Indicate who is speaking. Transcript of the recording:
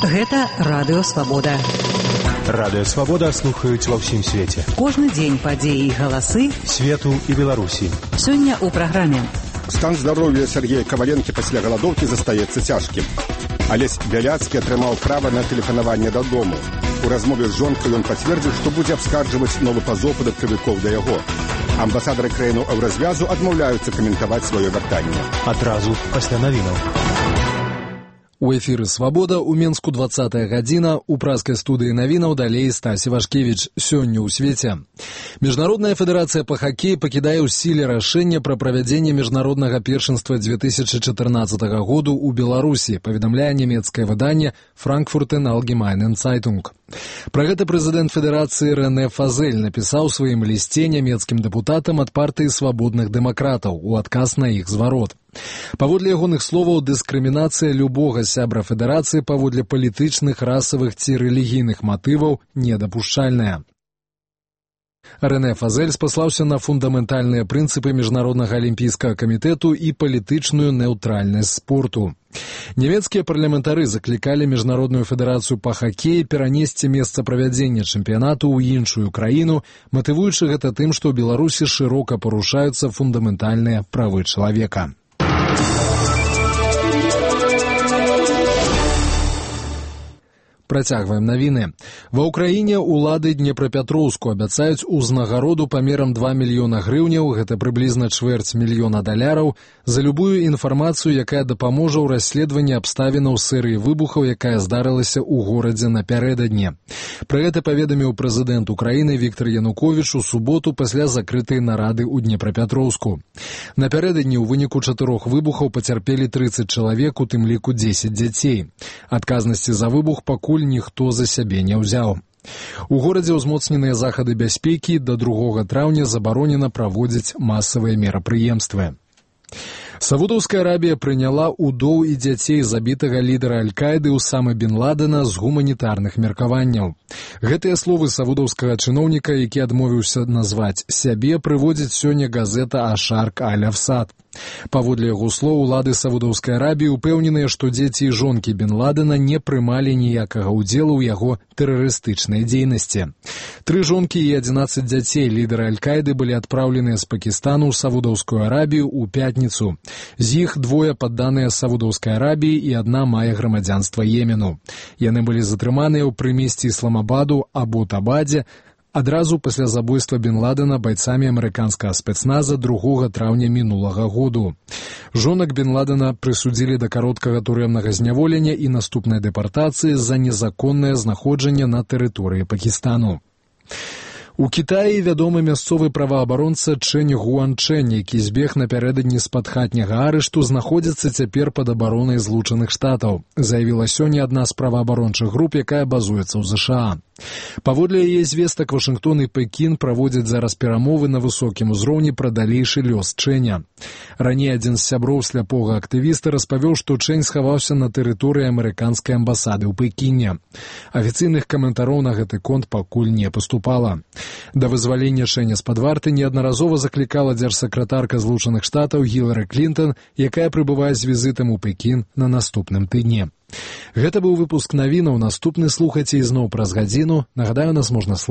Speaker 1: Гэта Радыё Свабода.
Speaker 2: Радыё Свабода слухаюць ва ўсім свеце.
Speaker 1: Кожны дзень падзеі і галасы
Speaker 2: свету і Беларусі.
Speaker 1: Сёння ў праграме.
Speaker 3: Стан здароўя Сергея Каваленкі пасля галадоўкі застаецца цяжкім. Алесь Бяляцкі атрымаў права на тэлефанаванне дадому. У размове з жонкай ён пацвердзіў, што будзе абскарджваць новы пазоў падаткавікоў да яго. Амбасадары краінаў Еўразвязу адмаўляюцца каментаваць сваё вяртанне.
Speaker 2: Адразу пасля навінаў.
Speaker 4: У эфіры «Свабода» у Менску 20-я гадзіна, у праскай студыі навінаў далей Стасі Вашкевіч. Сёння ў свеце. Міжнародная федэрацыя па хакеі пакідае ў сіле рашэнне пра правядзенне міжнароднага першынства 2014 году ў Беларусі, паведамляе нямецкае выданне «Франкфуртен Allgemeinen Zeitung». Пра гэта прэзідэнт федэрацыі Рэне Фазель напісаў у сваім лісце нямецкім дэпутатам ад партыі свабодных дэмакратаў у адказ на іх зварот. Паводле ягоных словаў, дыскрымінацыя любога сябра федэрацыі паводле палітычных, расавых ці рэлігійных матываў недапушчальная. Рэне Фазель спаслаўся на фундаментальныя прынцыпы Міжнароднага алімпійскага камітэту і палітычную неўтральнасць спорту. Нямецкія парламентары заклікалі Міжнародную федэрацыю па хакеі перанесці месца правядзення чэмпіянату ў іншую краіну, матывуючы гэта тым, што ў Беларусі шырока парушаюцца фундаментальныя правы чалавека. Працягваем навіны. Ва ўкраіне ўлады Днепрапятроўску абяцаюць узнагароду памерам 2 мільёна грыўняў, гэта прыблізна $250 000, за любую інфармацыю, якая дапаможа ў расследаванні абставінаў серыі выбухаў, якая здарылася ў горадзе напярэдадні. Пра гэта паведаміў прэзідэнт Украіны Віктор Януковіч у суботу пасля закрытай нарады ў Днепрапятроўску. Напярэдадні ў выніку 4 выбухаў пацярпелі 30 чалавек, у тым ліку 10 дзяцей. Адказнасці за выбух пакуль ніхто за сябе не ўзяў. У горадзе ўзмоцненыя захады бяспекі, да 2 траўня забаронена праводзіць масавыя мерапрыемствы. Саудаўская Арабія прыняла удоў і дзяцей забітага лідара Аль-Каіды Усамы бен Ладена з гуманітарных меркаванняў. Гэтыя словы саудаўскага чыноўніка, які адмовіўся назваць сябе, прыводзіць сёння газета «Ашарк Аль-Афсад». Паводле яго слоў, улады Саудаўскай Арабіі ўпэўненыя, што дзеці і жонкі бен Ладена не прымалі ніякага ўдзелу ў яго тэрарыстычнай дзейнасці. 3 жонкі і 11 дзяцей лідара Аль-Каіды былі адпраўленыя з Пакістану ў Саудаўскую Арабію ў пятніцу. З іх 2 падданыя Саудаўскай Арабіі і 1 мае грамадзянства Йемену. Яны былі затрыманыя ў прымесці Ісламабаду Абу-Табадзе адразу пасля забойства бен Ладена байцамі амерыканскага спецназа 2 траўня мінулага году. Жонак бен Ладена прысудзілі да кароткага турэмнага зняволення і наступнай дэпартацыі за незаконнае знаходжанне на тэрыторыі Пакістану. У Кітаі вядомы мясцовы праваабаронца Чэнь Гуанчэнь, які збег напярэдадні з-пад хатняга арышту, знаходзіцца цяпер пад абаронай Злучаных Штатаў, заявіла сёння адна з праваабарончых груп, якая базуецца ў ЗША. Паводле яе звестак, Вашынгтон і Пекін праводзяць зараз перамовы на высокім узроўні пра далейшы лёс Чэня. Раней адзін з сяброў сляпога актывіста распавёў, што Чэнь схаваўся на тэрыторыі амерыканскай амбасады ў Пекіне. Афіцыйных каментароў на гэты конт пакуль не паступала. Да вызвалення Чэня з-пад варты неаднаразова заклікала дзяржсакратарка Злучаных Штатаў Гілары Клінтон, якая прыбывае з візітам у Пекін на наступным тыдні. Гэта быў выпуск навінаў. Наступны слухайце ізноў праз гадзіну. Нагадаю, нас можна